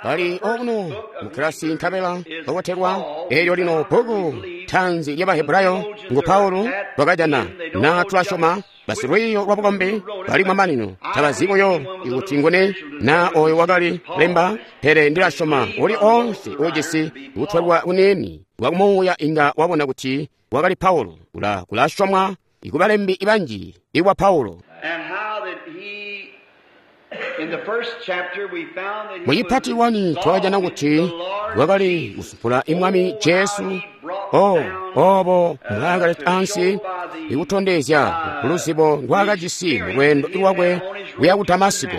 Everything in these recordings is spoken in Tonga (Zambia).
Bali okuno mukilasi nkabela babotelwa. Eelyo lino bbuku taanzi lya Bahebrayo ngu Paulo lwakajana na tulasyoma basilwiiyo lwa bukombi bali mamanino tabazi buyo kuti nguni na oyo wakali lemba, pele ndilasyoma uli oonse uujisi kutwelwa kuniini kwa kumuuya inga wabona kuti wakali Paulo. Kulasyomwa ikubalembi banji ikwa Paulo. Mucipati 1 twakajana kuti wakali kusumpula Mwami Jesu, obo mbwaakali ansi ikutondezya luzibo ndwaakajisi mulweendo lwakwe kuya ku Damasiko.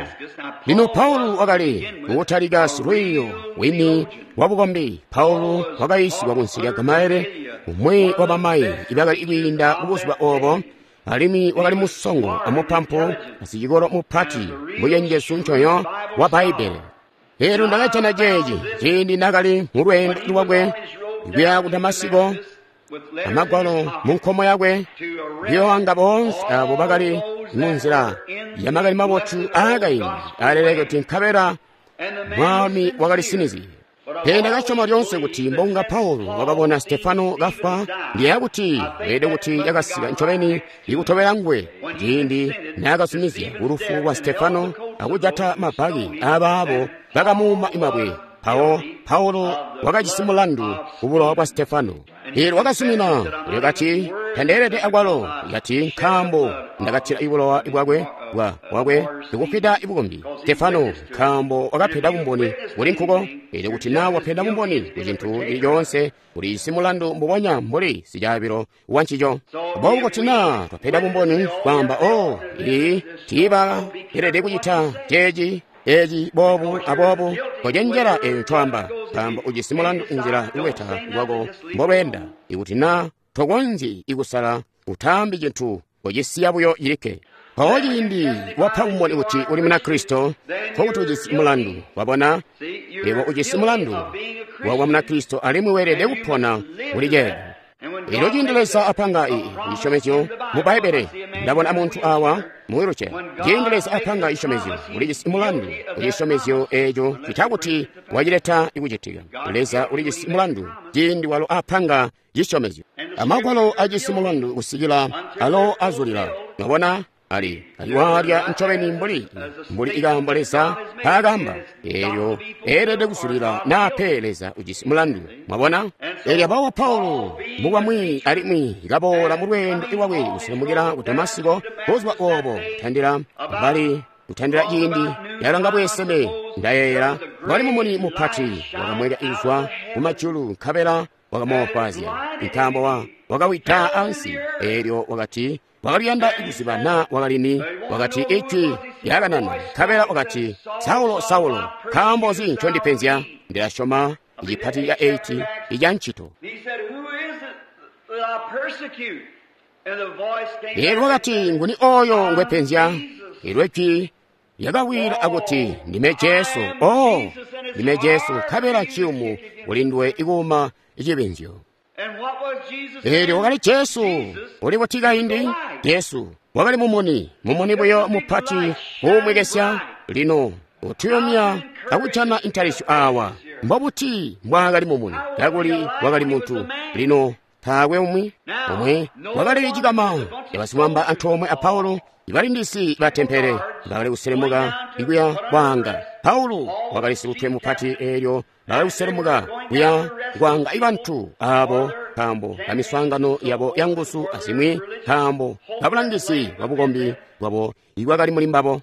Lino Paulo wakali kutalika silwiiyo wini wa bukombi. Paulo wakayiisigwa kunsi lya Gamalieli, umwi wa bamayi ibakali kwiinda kubuzuba obo, alimwi wakali musongo amupampu asicikolo mupati mucenjezu ncoyo wa Bbaibbele. Eelyo ndakajana ceeci ciindi naakali mulweendo lwakwe kuya ku Damasiko, amagwalo munkomo yakwe, kuyoanga boonse abo bakali munzila ya makani mabotu aakaindi aleleke nkabela Mwami wakali sinizye. Pele ndakasyoma lyoonse kuti mbonga Paulo wakabona Stefano kafwa, ndiyeeya kuti weelede kuti yakasika ncobeni ikutobela nguwe ciindi naakazumizya lufu lwa Stefano akujata mabaki aabaabo bakamuuma mabwe. Mpawo Paulo wakajisi mulandu kubulowa bwa Stefano. Eelyo wakazumina, wakati, tandeelede akwalo, kati nkaambo ndakatila bulowa bwakwe bwakwe ndikufwida bukombi Stefano, nkaambo wakapeda bumboni kuli nkuko. Eelyo kuti naa wapeda bumboni ku cintu cili coonse, ulijisi mulandu mbubonya mbuli sicaabilo wa ncico. Aboobo kuti naa twapeda bumboni kwaamba, ii tiibaelede kucita ceeci, eci boobu aboobu, kocenjela eyo ncwaamba, nkaambo ujisi mulandu inzila lubeta lwako mbolweenda. Ikuti naa tokonzyi ikusala, utaambi cintu, kocisiya buyo cilikke. Mpawo ciindi wapa bumboni kuti uli Munakristo, nkokuti ujisi mulandu. Wabona, yebo ujisi mulandu wakuba Munakristo alimwi weelede kupona kuli ceeco. Elyo ciindi Leza apanga cisyomezyo mu Bbaibbele, ndabona muntu awa mu wheelchair. Ciindi Leza apanga cisyomezyo, ulijisi mulandu ku cisyomezyo eeco cita kuti wacileta ikucitika. Leza ulijisi mulandu ciindi walo apanga cisyomezyo. Amagwalo ajisi mulandu kusikila alo azulila. Mwabona? Ali waalya ncobeni mbuli ikaambo Leza nkaakamba, eelyo eelede kuzulila naa pe Leza ujisi mulandu. Mwabona? Eelyo abawa Paulo mubwamwi alimwi kaboola mulweendo lwakwe kuselemukila ku Damasiko buzuba oobo kutandila ciindi yalanga bweeseme, ndayeeyela wali mumuni mupati wakamweka izwa kumajulu nkabela wakamoofwaazya, nkaambo wakawida ansi. Eelyo wakati wakaliyanda kuziba naa wakalini, wakati ijwi lyakanana nkabela wakati, Saulo, Saulo, nkaambo nzi ncondipenzya? Ndilasyoma icipati ca 8 ica ncito. Eelyo wakati, nguni oyo ngwepenzya? Eelyo ijwi lyakawila akuti, ndime Jesu. Ndime Jesu, nkabela nciyumu kuli nduwe ikuuma icibinzyo. Eelyo wakali Jesu uli buti kaindi? Jesu wakali mumuni, mumuni buyo mupati uumwekesya. Lino utuyumya akujana intalisyo awa. Mbobuti mbwaakali mumuni kakuli wakali muntu? Lino taakwe umwi wakali cikama cabasimwamba antoomwe a Paulo, ibalindisi ba tempele bakali kuselemuka ikuya kwaanga. Paulo wakali silutwe mupati, eelyo bakali kuselemuka kuya kwaanga ibantu aabo nkaambo kamiswaangano yabo yanguzu azimwi, nkaambo kabulangizi bwa bukombi bwabo ibwakali muli mbabo.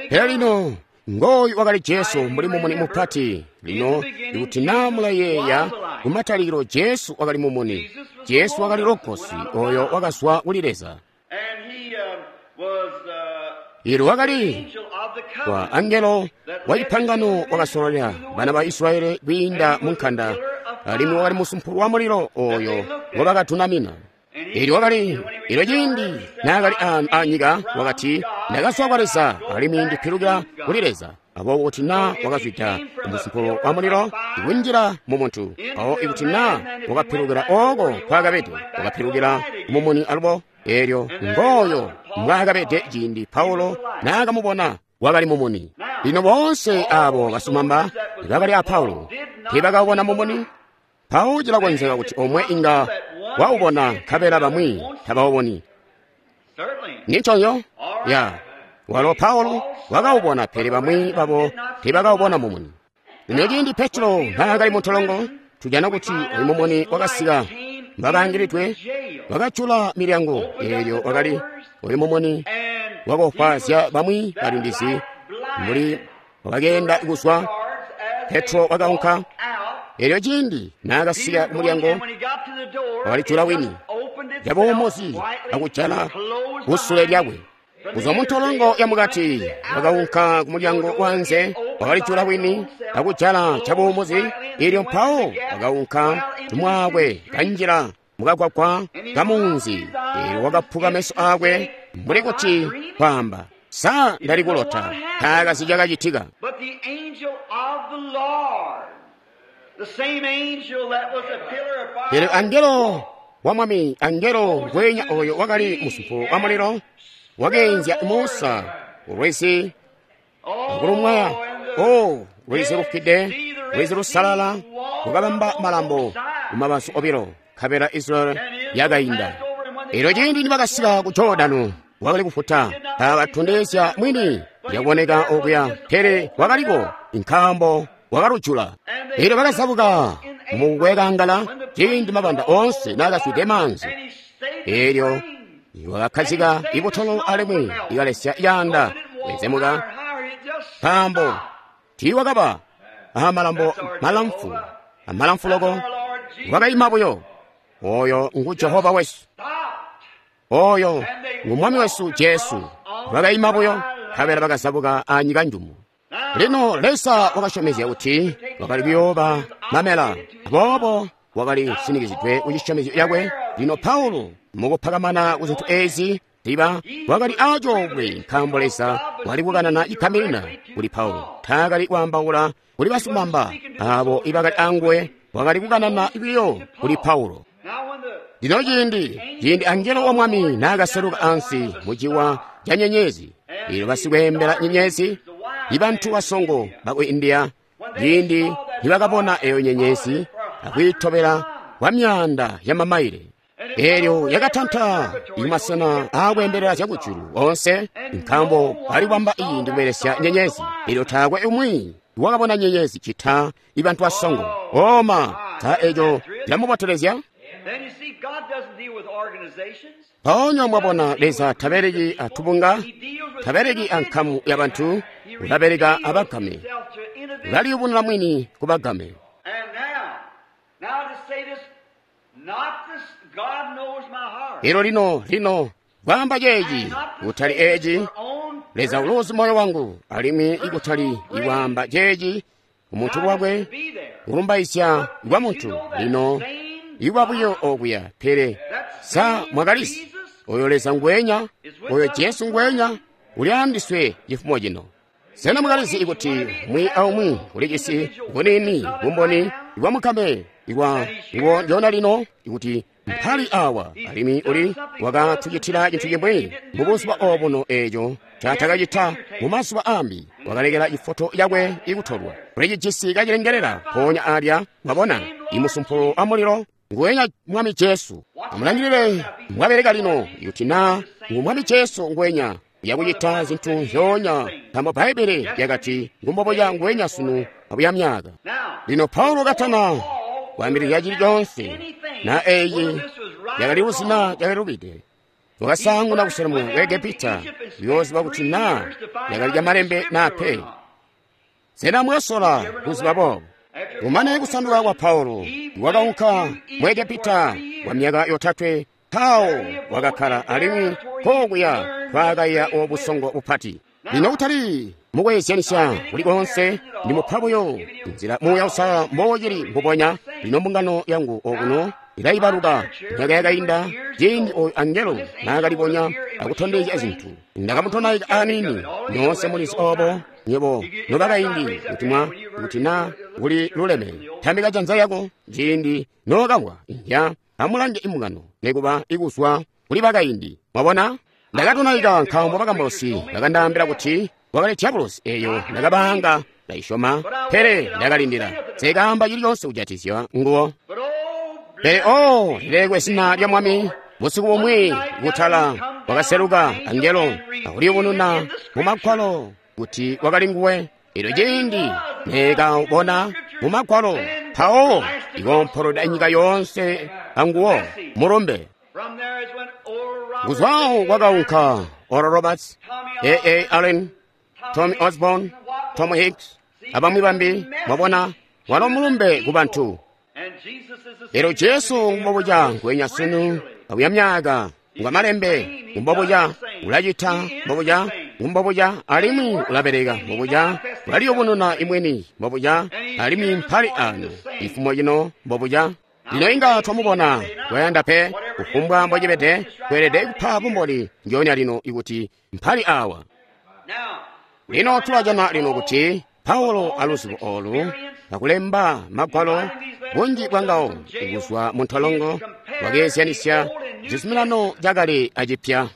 Pele lino ngooyu wakali Jesu mbuli mumuni mupati. Lino ikuti naa mulayeeya kumatalikilo, Jesu wakali mumuni. Jesu wakali Logosi oyo wakazwa kuli Leza. Eelyo wakali wa angelo wa cipangano wakasololela bana ba Israyeli kwiinda mu nkanda, alimwi wakali musumpulu wa mulilo oyo ngobakatunamina. Eelyo wakali, eelyo ciindi naakali anyika, wakati, ndakazwa kwa Leza alimwi ndipilukila kuli Leza. Aboobo kuti naa wakazwida musumpulu wa mulilo ikunjila mu muntu, mpawo ikuti naa wakapilukila ooko nkwaakabede, wakapilukila mumuni alubo. Eelyo ngooyo mbwaakabede ciindi Paulo naakamubona, wakali mumuni. Lino boonse aabo basumamba bakali a Paulo teebakawubona mumuni. Mpawo cilakonzeka kuti omwe inga waubona nkabela bamwi tabawuboni. Ninconyo? Ya. Walo Paulo wakawubona, pele bamwi babo teebakawubona mumuni. Lino ciindi Petro naakali muntolongo, tujana kuti oyu mumuni wakasika mbakaangilidwe, wakajula milyango. Eelyo wakali oyu mumuni wakofwaazya bamwi balindizi mbuli wakakeenda kuzwa. Petro wakaunka. Eelyo ciindi naakasika kumulyango, wakalijula wini cabuumuzi akujala kusule lyakwe. Kuzwa muntolongo yamukati wakaunka kumulyango wanze, wakalijula wini akujala cabuumuzi. Eelyo mpawo wakaunka tumwaakwe kanjila mukagwagwa kamunzi. Eelyo wakaphuka meso aakwe mbuli kuti kwaamba, sa ndali kulota? Taakazi cakacitika. Pele angelo wa Mwami, angelo ngweenya oyo wakali musumpu wa mulilo, wakeenzya Musa kulwizi akulumwaya. O lwizi lufwide, lwizi lusalala, lukabamba malambo kumabazu obilo, nkabela Israeli yakainda. Eelyo ciindi nibakasika ku Jordano, wakali kufuta taakatondezya mwini yakuboneka okuya, pele wakaliko nkaambo wakalujula. Eelyo bakazabuka mukwekangala ciindi mabanda oonse naakazwide maanzi. Eelyo wakakhazika ibutolo alimwi ikalesya yaanda kwenzemuka, nkaambo tiiwakaba amalambo malamfu amalamfu loko, wakayima buyo. Oyo ngu Jehova wesu, oyo ngu Mwami wesu Jesu. Wakayima buyo, nkabela bakazabuka anyika njumu. Lino Leza wakasyomezya kuti wakali kuyooba mamela, aboobo wakali sinikizidwe ku cisyomezyo cakwe. Lino Paulo mukupakamana ku zintu ezi ziba wakali acoobwe, nkaambo Leza wali kukanana ikaminina kuli Paulo. Taakali kwaambaula kuli basimamba abo ibakali anguwe, wakali kukanana biyo kuli Paulo. Lino ciindi angelo wa Mwami naakaseluka ansi muciwa ca nyenyezi, eelyo basikweembela nyenyezi, ibantu basongo baku India, ciindi nibakabona eyo nyenyezi akwiitobela kwa myaanda ya mamaile, eelyo yakatanta imasena aakweembelela zyakujulu onse, nkaambo bali kwamba iyi ndikubelesya nyenyezi. Eelyo taakwe umwi wakabona nyenyezi cita ibantu basongo. Oma, sa eco cilamubotelezya? Mpoonya mwabona Leza tabeleki atubunga, tabeleki ankamu ya bantu, ulabeleka abagame, ulaliyubununa mwini kubagame. Elo lino kwaamba ceeci, kutali eeci, Leza uluuzi moyo wangu, alimwi ikutali ikwaamba ceeci umuntu lwakwe, kulumbaizya kwa muntu. Lino iwa buyo okuya, pele sa mwakalisi oyo Leza ngwenya, oyo Jesu ngwenya uli andiswe cifumo cino. Sena mwakalizi ikuti umwi aumwi ulijisi bunini bumboni bwa mukame ikwa ngo njona lino ikuti mpali awa alimwi uli wakatucitila cintu cimwi mubuzuba obuno eeco ncatakacita mumazuba ambi, wakalekela ifoto yakwe ikutolwa. Ulicijisi kacilengelela mpoonya alya, mwabona imusumpulo wa mulilo ngwenya Mwami Jesu. Amulangilile mwabeleka lino ikuti naa ngu Mwami Jesu ngwenya uyakucita zintu nzyoonya, nkaambo Bbaibbele lyakati ngumboboya ngwenya sunu abuya myaka. Lino Paulo katana kwaambilizya cili coonse na eyi yakali luzina yakalubide, wakasaanguna kuselemuka ku Egepita kuyooziba kuti naa yakali lyamalembe naa pe. Sena mwasola kuziba boobo? Kumane kusanduka kwa Paulo, wakaunka mu Egepita kwa myaka yotatwe. Mpawo wakakkala alimwi kokuya twakaiya obusongo bupati. Lino kutali mukweezyanisya kuli koonse, ndimupa buyo nzila Muuya Uusalala mbocili mbubonya. Lino mbungano yangu okuno ilaibaluka myaka yakainda ciindi oyu angelo naakalibonya akutondezya zintu. Ndakamutonaika aniini, nyoonse mulizi obo nywebo nobakaindi kuti mwa kuti na kuli luleme. Tambika janza yako ciindi nookamwa. Inzya, amulange imbungano nikuba ikuzwa kuli bakaindi. Mwabona? Ndakatonaika nkaambo bakambausi bakandaambila kuti wakali dyabulosi eyo ndakabaanga ndayisyoma, pele ndakalindila. Nseekaamba cili kujatikizya nguwo. Pele oh, lilelekwe zina lya Mwami. Busiku bumwi kutala wakaseluka angelo akuliyubununa mu Magwalo kuti wakali nguwe. Elyo ciindi neekabona mu Magwalo, mpawo ikompolola nyika yoonse anguwo mulumbe. Kuzwawo kwakaunka Oral Roberts, A.A. Allen, Tommy Osborne, Tom Hicks, abamwi bambi. Mwabona, walo mulumbe ku bantu. Elyo Jesu ngumbobuca ngwenya sunu akuya myaka, ngwa malembe, ngumbobuca ulacita, mbobuca ngumbobuca alimwi ulabeleka, mbobuca ulaliyubununa imweni, mbobuca alimwi mpali ano ifumo cino mbobuca. Lino inga twamubona twayanda pe kufumbwa mbocibede, tweelede kupa bumboni ndyoonya lino ikuti mpali awa. Lino tulajana lino kuti Paulo aluzibo olu akulemba magwalo bunji bwangawo kuzwa mu ntolongo wakeezyanisya cizuminano cakale acipya.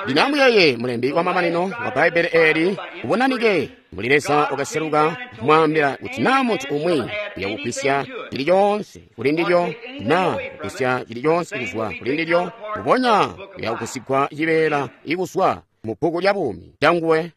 Lino amuyeye mulembi wa mamanino wa Bbaibbele eeli ubonanike mbuli Leza wakaseluka kumwaambila kuti naa muntu umwi uyakugwisya cili coonse kuli ndilyo naa kugwisya cili coonse kuzwa kuli ndilyo, mbubonya uyakugwisigwa cibeela ikuzwa mu bbuku lya buumi canguwe.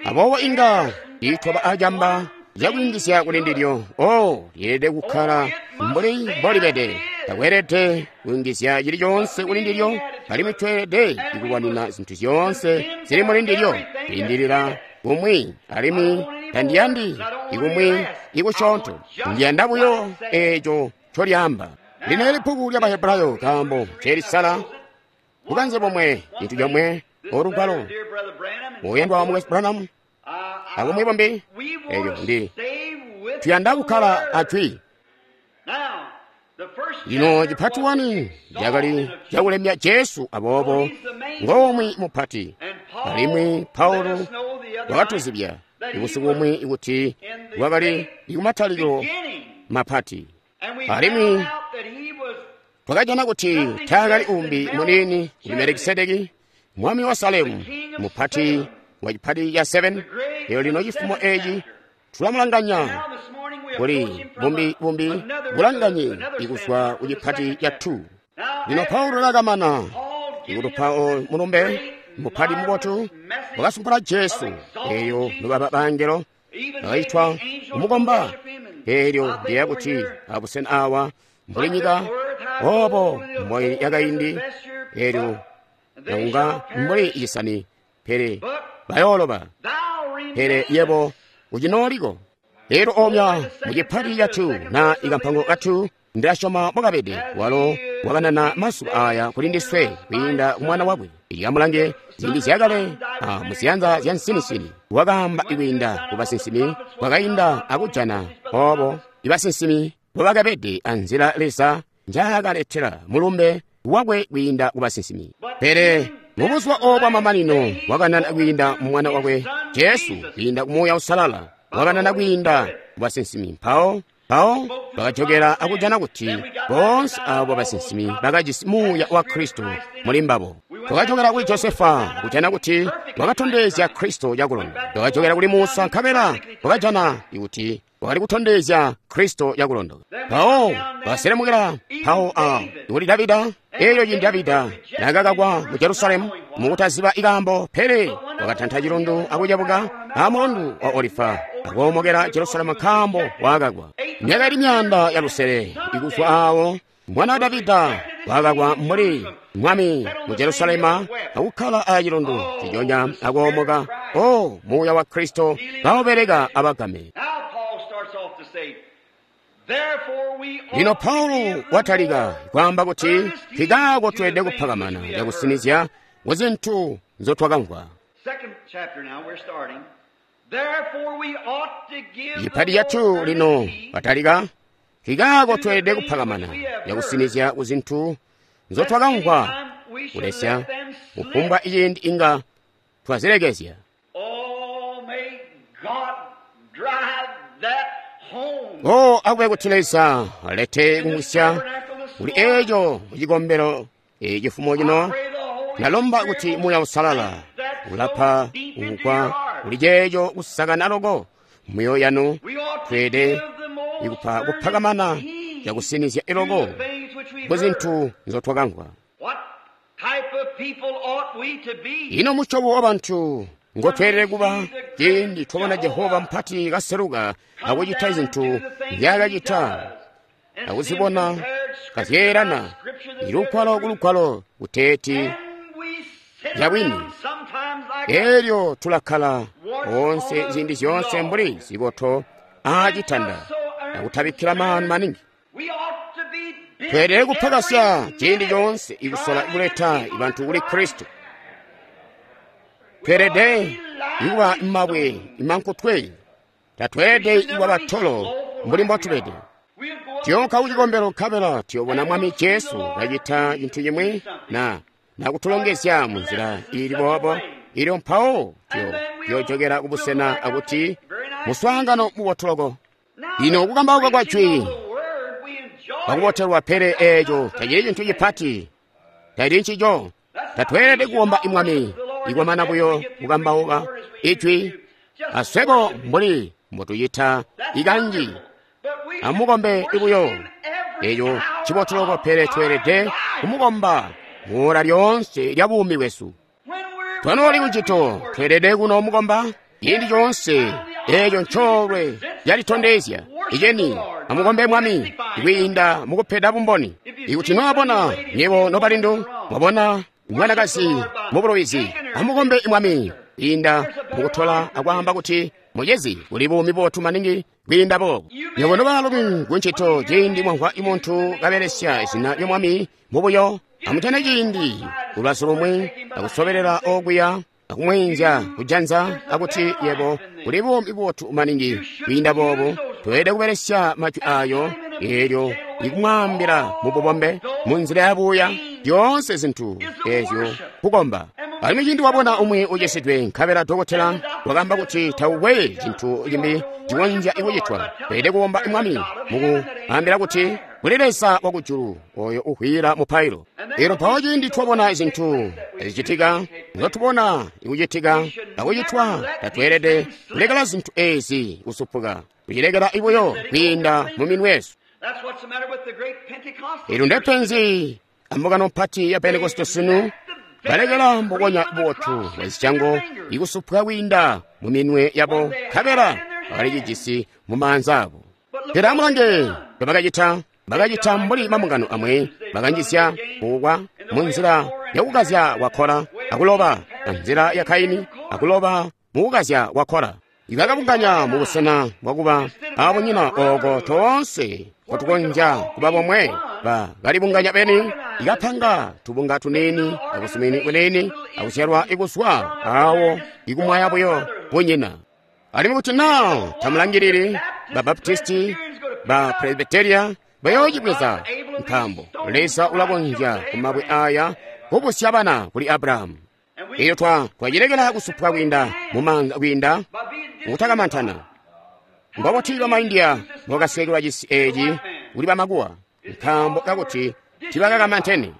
Aboobo inga tiitwaba acamba cakwiingizya kuli ndilyo. Oh, lyeelede kukkala mbuli mbolibede. Takweelede kuyungizya cili coonse kuli ndilyo, alimwi tweelede kulwanina zintu zyoonse zili muli ndilyo, kwiindilila kumwi, alimwi tandiyandi ikumwi ikusyoonto. Ndiyanda buyo eeco ncolyaamba. Lino ili bbuku lya Bahebrayo nkaambo ncelisala bukanze bomwe, cintu comwe, olugwalo. Muyandwa wa Mukwesu Branham, abumwi bumbi, eeco ndi tuyanda kukkala ajwi. Lino cipati wani cakali cakulemya Jesu, aboobo ngomwi mupati. Alimwi Paulo wakatuzibya ibusiku bumwi kuti wakali ikumatalikilo mapati. Alimwi twakajana kuti taakali umbi muniini kuli Melikisedeki, mwami wa Salemu, mupati wa cipati ca 7. Elyo lino cifumo eci tulamulanganya kuli bumbi bumbi bulanganye ikuzwa ku cipati ca 2. Lino Paulo nakamana ikutupa mulumbe mupati mubotu wakasumpula Jesu, eyo nobaba bangelo bakaitwa kumukomba. Eelyo ndiyeeya kuti abusena awa mbuli nyika obo mboi yakaindi, eelyo yakunga mbuli cisani, pele bayooloba, pele yebo ucinooliko. Elyo omya mu cipati ca 2 na ikampango ka 2, ndilasyoma mwakabede walo wakanana masuba aya kuli ndiswe kwiinda ku mwana wakwe. Amulange ziindi zyakale muziyanza zya nsinisini wakaamba ikwiinda ku basinsimi, wakainda akujana obo ibasinsimi mbobakabede anzila Leza njaakaletela mulumbe wakwe kwiinda ku basinsimi. Pele mubuzuba obo bwamamanino wakanana kwiinda mu mwana wakwe Jesu, kwiinda ku Muuya Uusalala wakanana kwiinda ku basinsimi. Mpawo bakajokela akujana kuti boonse abo basinsimi bakajisi Muuya wa Kristo muli mbabo. Twakajokela kuli Josefa kujana kuti wakatondezya Kristo cakulondoka. Twakajokela kuli Musa nkabela twakajana kuti wakali kutondezya Kristo cakulondoka. Mpawo bakaselemukila mpawo kuli Davida. Elyo ciindi Davida naakakakwa mu Jerusalemu mukutaziba ikaambo, pele wakatanta cilundu akucebuka amulundu wa Olifa akuomokela Jerusalemu nkaambo waakakwa. Myaka ili 500 ikuzwa awo, mwana wa Davida wakakwa mbuli mwami mu Jerusalemu akukkala acilundu ciconya akuomoka. O Muuya wa Kristo kaubeleka abagame. Lino Paulo watalika kwaamba kuti nkikaako tweelede kuphakamana cakusinizya ku zintu nzotwakamvwa. Cipati ca 2 lino watalika, nkikaako tweelede kuphakamana cakusinizya ku zintu nzotwakamvwa, kulesya kufumbwa ciindi inga twazilekezya. O akube kuti Leza alete kumwisya kuli eco mucikombelo cifumo cino. Ndalomba kuti Muuya Uusalala ulapa ukwa kuli ceeco kusakana loko muyo yanu. Tweelede ikupa kuphakamana cakusinizya iloko ku zintu nzotwakamvwa. Ino musyobo wa bantu ngotweelede kuba ciindi twabona Jehova mpati kaseluka akucita zintu nzyaakacita akuzibona kazyeelana ilugwalo kulugwalo kuteeti yabwini. Elyo tulakkala onse ziindi zyoonse mbuli ziboto aacitanda akutabikkila maanu maningi. Tweelede kuphakasya ciindi coonse ikusola kuleta bantu kuli Kristo. Tweelede ikuba mabwe imankutwe, tatweelede ikuba batolo mbuli mbotubede. Tuyonka kucikombelo nkabela tuyobona Mwami Jesu kacita cintu cimwi na nakutulongezya munzila iili boobo, ilyo mpawo tuyojokera kubusena akuti muswaangano mubotu loko. Ino kukambauka kwa jwi akubotelwa, pele eeco tacili cintu cipati, tacili ncico. Tatweelede kuomba Mwami ikwamana buyo kukambauka ijwi aswebo mbuli mbotucita ikanji. Amukombe ibuyo, eeco cibotu loko, pele tweelede kumukomba muola lyoonse lya buumi bwesu. Twanooli kucito, tweelede kuno mukomba ciindi coonse. Eeco ncoolwe calitondezya iceni. Amukombe Mwami kwiinda mukupeda bumboni. Ikuti mwabona nyebo nobalindu mwabona mwanakazi mubulubizi, amukombe Mwami kwiinda mukutola akwaamba kuti mucezi kuli buumi bubotu maningi kwiinda boobo. Nywebo nobaalumi kuncito, ciindi mwamvwa muntu kabelesya zina lya Mwami mubuyo, amutane ciindi kulubazu lumwi akusobelela okuya akumwiinzya kujanza akuti yebo kuli buumi bubotu maningi kwiinda boobo. Tweelede kubelesya majwi ayo eelyo ikumwaambila mububombe munzila yabuuya zyoonse zintu eezyo kukomba. Alimwi ciindi wabona umwi ucisidwe nkabela dokotela wakaamba kuti taukwe cintu cimbi cikonzya kucitwa, tweelede kukomba Mwami mukuambila kuti kuli Leza wakujulu oyo uhwiila mupailo. Elyo mpawo ciindi twabona zintu zicitika nzotubona ikucitika akucitwa, tatweelede kulekela zintu ezi kusupuka, kucilekela ibuyo kwiinda muminwe yesu. Elyo ndepenzi ambungano mpati ya Pentekoste sunu, balekela mbubonya bubotu bwa zisyango ikusupuka kwiinda muminwe yabo, nkabela bakalicijisi mumaanza abo. Pele amulange mbobakacita. Bakacita mbuli mambungano amwe, bakanjisya kukwa munzila yakukazya kwa Kora akuloba, anzila ya Kaini akuloba mukukazya kwa Kora. Ibakabunganya mubusena bwakuba abunyina ooko toonse kotukonzya kuba bomwe, bakalibunganya beni, ikapanga tubunga tuniini akusumini kuniini akuzyalwa ikuswa awo ikumwaya buyo bunyina. Alimwi kuti naa tamulangilili, ba Baptisti, ba Presbyteria bayoocibweza, nkaambo Leza ulakonzya kumabwe aya kubusya bana kuli Abrahamu. Elyo twacilekela kusupuka kwiinda mumaanza kwiinda mukutakamantana. Mbobuti bamaindiya mbobakasekelwa cisi eeci kuli bamakuwa, nkaambo kakuti tibakakamantene.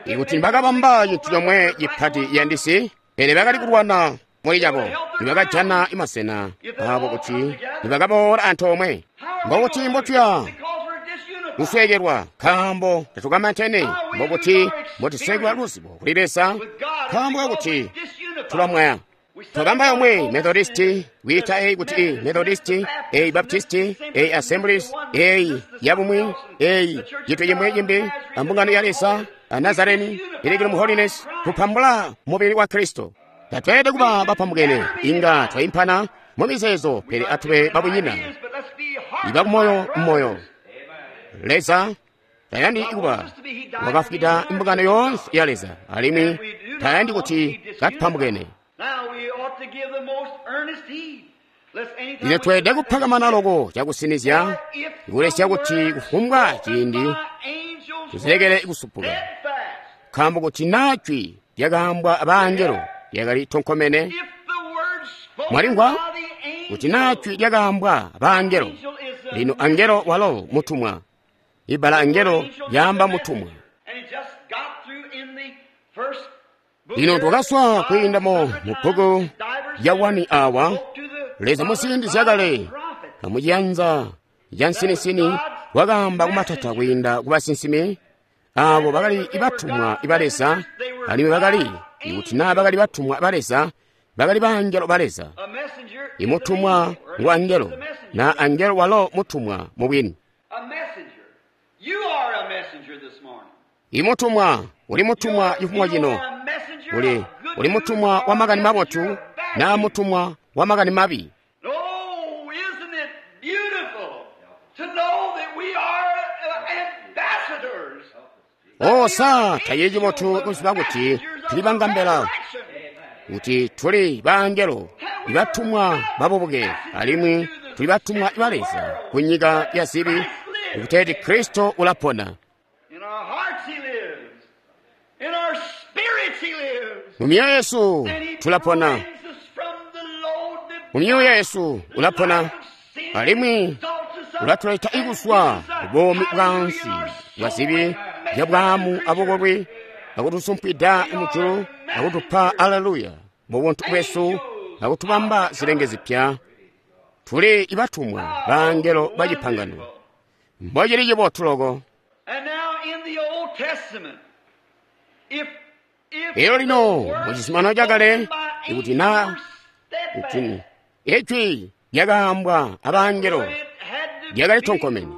Ikuti bakabamba cintu comwe cipati yandisi, pele bakali kulwana muli cabo, nibakajana masena abo kuti nibakaboola antoomwe. Mbobuti mbotuya kusweekelwa nkaambo tatukamantene? Mbobuti mbotusekelwa luzibo kuli Leza nkaambo kakuti tulamwaya? Twabamba yomwe Methodisti, kwiita eyi kuti i Methodisti, eyi Baptisti, eyi Assemblies, eyi yabumwi, eyi cintu cimwi cimbi, ambungano ya Leza, a Nazareni, Pilgrim Holiness, kupambula mubili wa Kristo. Tatweelede kuba bapambukene, inga twaimpana mu mizeezo, pele atube babunyina, ibakumoyo mmoyo. Leza tayandi kuba wakafwida mbungano yoonse ya Leza, alimwi tayandi kuti katupambukene. Lino tweelede kuphakamana loko cakusinizya kulesya kuti kufumbwa ciindi tuzilekele kusupuka, nkaambo kuti naa jwi lyakaambwa abaangelo lyakali tonkomene. Mwalimvwa kuti naa jwi lyakaambwa abaangelo. Lino angelo walo mutumwa. Ibbala angelo lyaamba mutumwa. Lino twakaswa kwiinda mu bbuku ya 1 awa. Leza muziindi zyakale amuciyanza ca nsinisini wakaamba kumatata kwiinda ku basinsimi abo bakali batumwa ba Leza, alimwi bakali, ikuti naa bakali batumwa ba Leza, bakali baangelo ba Leza. Imutumwa ngu angelo, na angelo walo mutumwa mubwini. Imutumwa uli mutumwa cifumo cino, uli mutumwa wa makani mabotu na mutumwa wa makani mabi. O sa tacili cibotu kuziba kuti tuli bangambela, kuti tuli baangelo ibatumwa babubuke, alimwi tuli batumwa ba Leza ku nyika ya zibi, kuteeti Kristo ulapona. Mu myoyo yesu tulapona, mu myoyo yesu ulapona, alimwi ulatuleta ikuswa bubomi bwansi bwa zibi bya bwamu abukolwi, akutusumpwida mujulu, akutupa aleluya mu buntu bwesu, akutubamba zilenge zipya. Tuli ibatumwa baangelo ba cipangano. Mbocili cibotu loko. Elyo lino mu cizuminano cakale, ikuti na kuti ijwi lyakaambwa abangelo lyakali tonkomene,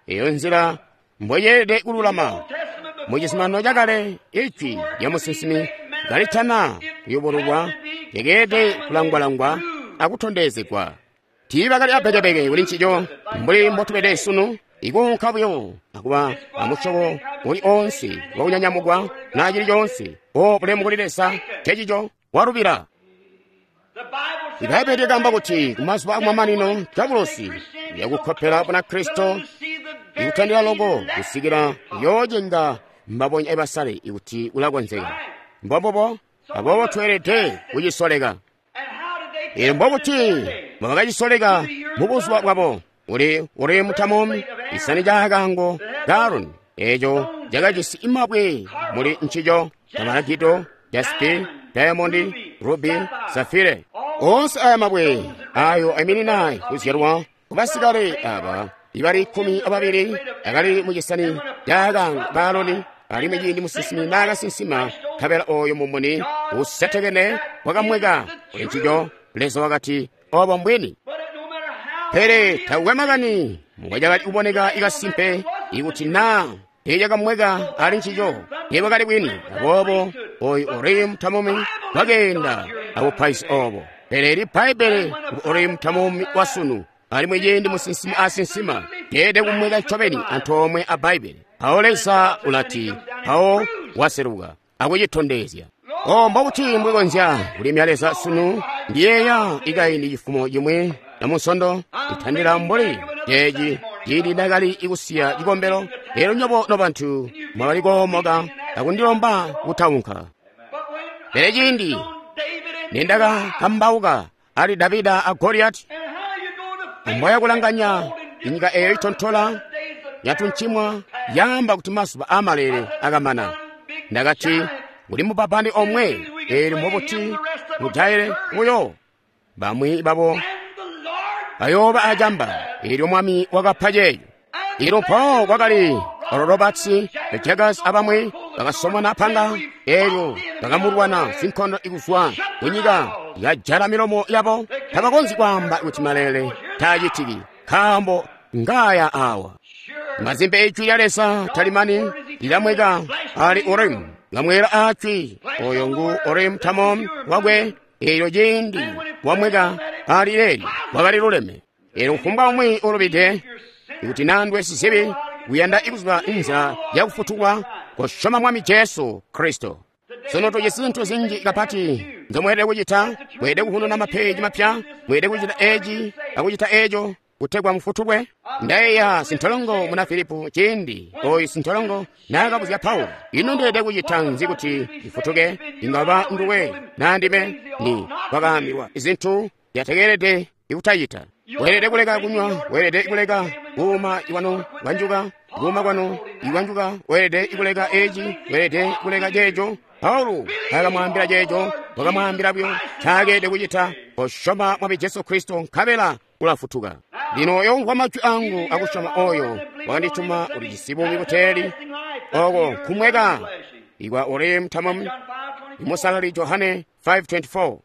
eyo nzila mboyeelede kululama. Mu cizuminano cakale, ijwi lya musinsimi kalitana kuyubururwa, lyakeelede kulangwalangwa akutondezegwa. Tiibakali apekepeke kuli ncico mbuli mbotubede sunu, ikuunka buyo akuba amusyobo uli oonse wakunyanyamukwa na cili coonse. O bulemu kuli Leza, cecico walubila. Ibaibbele lyakaamba kuti kumazuba akumamanino Diabolosi uyakukkopela Bunakristo ikutandila loko kusikila uyoocenga mbabonya ibasale ikuti ulakonzeka. Mbombubo, aboobo tweelede kucisoleka. Elyo mbobuti mbobakacisoleka mubuzuba bwabo? Uli mutamomi isani ca kaango ka Aroni eeco cakajisi imabwe muli ncico: tamaragido, jaspi, diamondi, rubi, safire. Oonse aya mabwe ayo aiminina kuzyalwa kubasikale aba ibali 12 akali mucisani ca kaango ka Aroni, alimwi ciindi musinsimi naakasinsima, nkabela oyo mumuni usetekene wakamweka kuli ncico. Leza wakati, obo mbwini. Pele takukwe makani mbwacakali kuboneka ikasimpe, ikuti naa teecakamweka ali ncico, teebwakali bwini. Aboobo oyu Urimu Tamumi wakeenda abupaizi obo. Pele ili Bbaibbele ngu Urimu Tamumi wa sunu, alimwi ciindi musinsimi asinsima, teelede kumweka ncobeni antoomwe a Bbaibbele. Mpawo Leza ulati, mpawo waseluka akucitondezya. O mbobuti mbwikonzya kulimya Leza sunu? Ndiyeeya ikaindi cifumo cimwi na munsondo itandila mbuli ceeci ciindi ndakali ikusiya cikombelo. Lero nyobo nobantu mwakali koomoka akundilomba kutaunka. Pele ciindi nindakakambauka ali Davida a Goliati, amboya kulanganya inyika eyo itontola yatuncimwa yaamba kuti mazuba amalele akamana. Ndakati kuli mubabani omwe, eelyo mbobuti mujaile buyo bamwi babo bayooba acamba. Eelyo Mwami wakapa ceeco. Eelyo mpawo kwakali Oral Roberts, Jaggers abamwi bakasomona panga, eelyo bakamulwana sinkondo ikuzwa kunyika yajala milomo yabo. Tabakonzyi kwaamba kuti malele taacitiki, nkaambo ngaya awa. Mazimbe ijwi lya Leza talimani lilamweka ali Urimu lamwera ajwi oyo ngu Urimu Tamum wakwe. Eelyo ciindi wamweka ali leelyo wakali luleme. Eelyo kufumbwa umwi ulubide, ikuti nandwe sizibi kuyanda ikuziba inzila yakufutulwa, kosyoma Mwami Jesu Kristo. Sono tujisi zintu zinji kapati nzomweelede kucita. Mweelede kuhununa mapeji mapya, mweelede kucita eci akucita eco kutegwa mufutulwe. Ndayeeya sintolongo muna Filipu ciindi oyu sintolongo naakabuzya Paulo, ino ndeelede kucita nzi kuti ndifutuke? Ingaba nduwe naa ndime? Ni kwakaambilwa izintu zyatekelede ikutacita. Weelede kuleka kunywa, weelede kuleka kuuma iwanu wanjuka, kuuma kwanu iwanjuka, weelede kuleka eci, weelede kuleka ceeco. Paulo taakamwaambila ceeco, wakamwaambila buyo ncaakede kucita, kosyoma Mwami Jesu Kristo nkabela ulafutuka. Lino oyo umvwa majwi angu akusyoma oyo wakandituma ulijisi buumi buteeli, oko nkumweka ikwa Urim Tamim, imusalali Johane 5:24.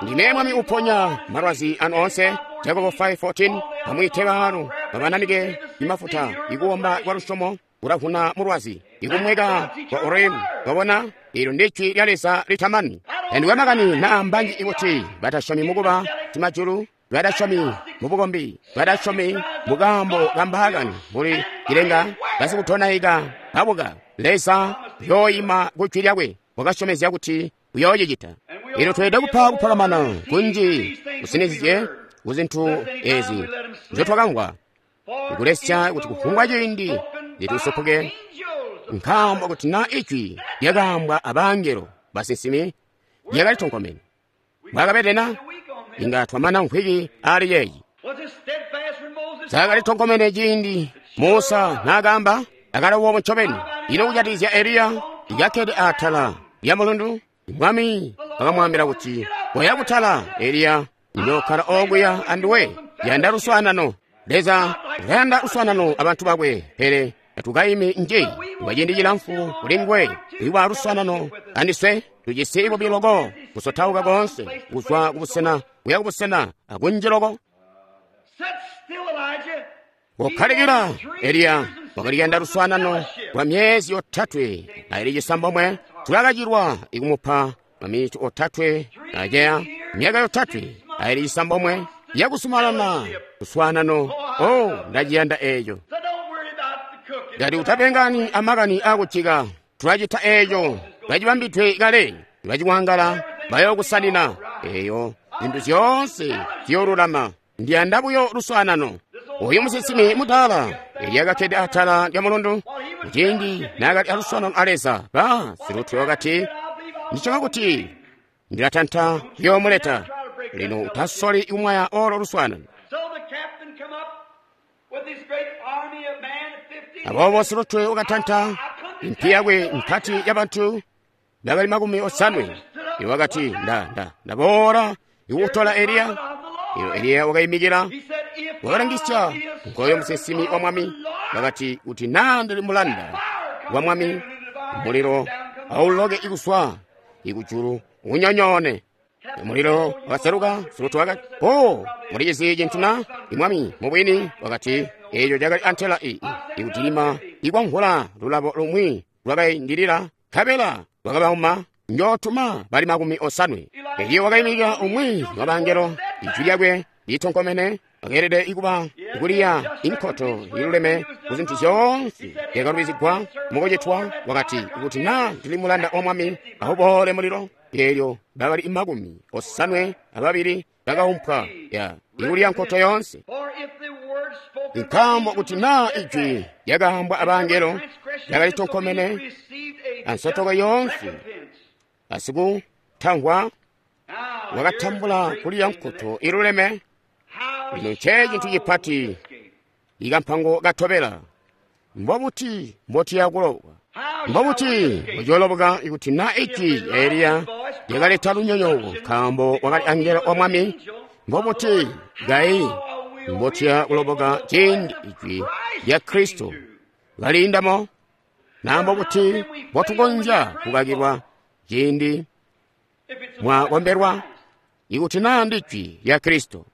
Ndime Mwami uponya malwazi anu onse, Jakobo 5:14. Amwiite baalu babananike imafuta, ikuwomba kwa lusyomo kulavuna mulwazi, ikumweka kwa Urim. Wabona, ilo ndi jwi lya Leza litamani. Endiwe makani naa mbanji ikuti batasyomi mukuba timajulu, batasyomi mubukombi, batasyomi mukaambo kambaakani mbuli cilenga, basikutonaika babuka. Leza uyooyima ku jwi lyakwe, wakasyomezya kuti uyoocicita. Ilo tweelede kupa kupakamana kunji kusinizye ku zintu ezi nzyotwakamvwa, ikulesya kuti kufumbwa ciindi litusopoke, nkaambo kuti naa ijwi lyakaambwa abangelo basinsimi lyakalitonkomene. Mwakabedena inga twamana mvwiki ali yeeyi. Zyakalitonkomene ciindi Musa naakaamba, akali ncobeni. Ino kujatikizya Eliya ikakkede atala lya mulundu, Mwami wakamwaambila kuti, koya kutala Eliya, njokkala okuya anduwe, yanda luswaanano. Leza ulayanda luswaanano abantu bakwe, pele tatukayimi nji kwa ciindi cilamfu kuli nguwe. Iwa luswaanano andiswe tujisi bubi loko, kusotauka koonse kuzwa kubusena kuya kubusena akunji loko. Kokkalikila Eliya wakaliyanda luswaanano kwa myezi yotatwe aili cisambomwe. Tulakacilwa ikumupa maminiti otatwe aceya, myaka yotatwe aili cisambomwe yakusumalana luswaanano. Oh, ndaciyanda eeco. Ngati utapengani amakani akucika, tulacita eeco, tulacibambidwe kale, tulaciwangala bayookusanina. Eeyo zintu zyoonse ziyoolulama. Ndiyanda buyo luswaanano. Oyu musinsimi mudaala Eliya kakkede atala lya mulundu kuciindi naakali aluswaanano a Leza, ba silutwe wakati, ndisyoma kuti ndilatanta kuyoomuleta. Lino utasoli kumwaya olo luswaanano. Aboobo silutwe wakatanta impi yakwe mpati yabantu bakali 80. Iwo wakati, ndaboola ikukutola Eliya. Iyo Eliya wakayimikila, wakalangisya nkoyo musinsimi wa Mwami. Wakati, kuti naa ndili mulanda wa Mwami, mulilo auloke ikuswa ikujulu unyonyoone. Mulilo wakaseluka. Silutwe wakati, oh, mulichizi cintu na? Imwami mubwini wakati, eeco cakali antela ikutilima ikwamvula lulabo lumwi lwakaindilila, nkabela lwakabauma. Njootuma bali 80. Eliya wakayimikila umwi wa bangelo, ijwi lyakwe litonkomene, akeelede ikuba kuliya inkoto iluleme ku zintu zyoonse zyakalubizigwa mukucitwa. Wakati, kuti naa ndili mulanda wa Mwami, auboole mulilo. Eelyo bakali 82 bakaumpwa ya ikuliya nkoto yoonse. Nkaambo kuti naa ijwi lyakaambwa abangelo lyakalitonkomene ansotoko yoonse, asikutamvwa wakatambula kuliya nkoto iluleme. Lino nce cintu cipati ikampango katobela. Mbobuti mbotiya kuloboka? Mbobuti mbocooloboka ikuti naa ijwi lya Eliya lyakaleta lunyonyooko nkaambo wakali angelo wa Mwami? Mbobuti kai mbotiya kuloboka ciindi ijwi lya Kristo kaliindamo? Na mbobuti mbotukonzya kukakilwa ciindi mwakombelwa ikuti naa ndi jwi lya Kristo?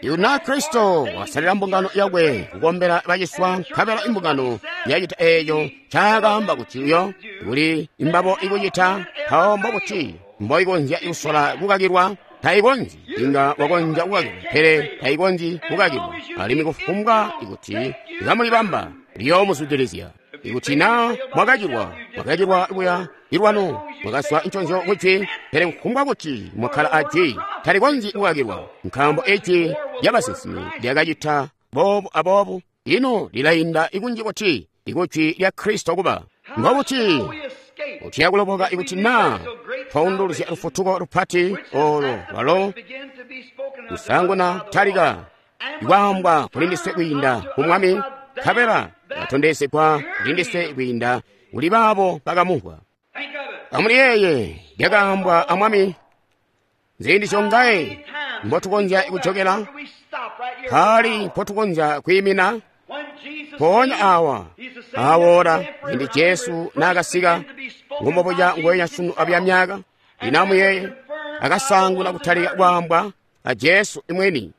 Ikuti naa Kristo wasalila mbungano yakwe kukombela baciswa, nkabela imbungano yacita eeco ncaakaamba kuti uyo kuli imbabo ikucita, mpawo mbobuti mboikonzya kusola kukakilwa? Taikonzyi. Inga wakonzya kukakilwa, pele taikonzyi kukakilwa. Alimwi kufumbwa ikuti kamulibamba, liyoomuzwidilizya. Ikuti naa mwakacilwa, mwakacilwa kuya ilwanu, mwakaswa nconzyo kujwi, pele kufumbwa kuti mwakkala ajwi, talikonzyi kukakilwa, nkaambo ijwi lyabasinsimi lyakacita boobu aboobu. Ino lilainda ikunji kuti ikujwi lya Kristo kuba. Mbobuti utiya kuloboka ikuti naa twaunduluzya lufutuko lupati olo lwalo kusanguna talika ikwaambwa kulindiswe kwiinda ku Mwami, nkabela katondezegwa kulindiswe kwiinda kuli baabo bakamumvwa. Amuliyeeye lyakaambwa a Mwami. Ziindi zyongaye mbotukonzya kujokela, mpaali mpotukonzya kwiimina. Mpoonya awa awoora ciindi Jesu naakasika, ngumbobuca nguwenya sunu abya myaka. Lino amuyeeye, akasaanguna kutalika kwaambwa a Jesu imweni.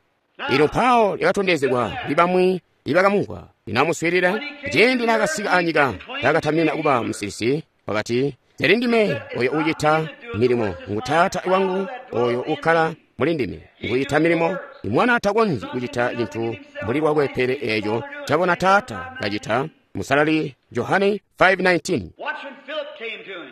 Lino mpawo lyakatondezegwa kuli bamwi ibakamumvwa. Lino amuswiilile, ciindi naakasika anyika, taakatamina kuba musilisi. Wakati, Teli ndime oyo uucita milimo, ngu Taata wangu oyo ukkala muli ndime. Ngucita milimo, Mwana takonzyi kucita cintu mbuli lwakwe pele eeco cabona Taata kacita. Musalali Johane 5:19.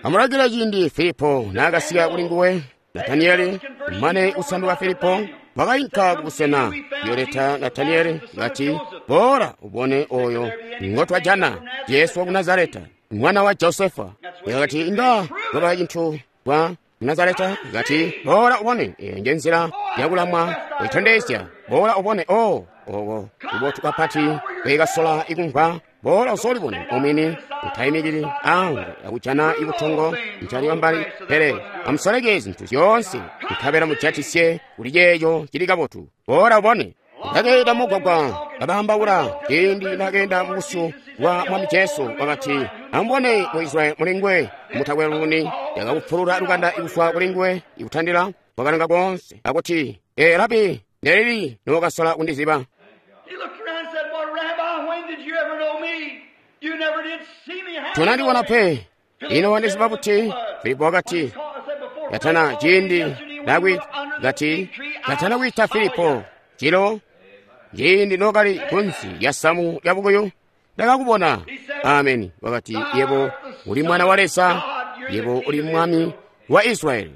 Amulangile ciindi Filipo naakasika kuli nguwe, Nataniyeli mane kusanduka Filipo wakainka kubusena kuyoleta Nataniyeli kati, Boola ubone oyo ngotwajana, Jesu waku Nazareta, mwana wa Josefa. Yakati inga kwaba cintu kwa Nazareta, kati boola ubone. Eyo nje nzila yakulamwa kuitondezya. Boola ubone. O oko kubotu kapati kwekasola ikumvwa. Boola usolibone omwini, utaimikili ange akujana ikutongo ncali wambali, pele amusoleke zintu zyoonse nkabela mujatisye kuli ceeco cili kabotu. Boola ubone. Ndakeenda mugwagwa kabaambaula ciindi nakeenda mubusyu bwa Mwami Jesu, wakati, Amubone mu Israyeli mulingwe mutakwe luuni. Yakakupulula lukanda ikuzwa kulinguwe ikutandila wakalanga koonse akuti, Ee Rabi, nelili nokasola kundiziba? Tonandiwona pe, ino wandiziba buti? Filipo wakati, Yatana ciindi nakati yatana kwiita Filipo cilo ciindi nokali kunsi lya samu lya bukuyu ndakakubona. Ameni. Wakati, Yebo uli mwana wa Leza, yebo uli mwami wa Israyeli.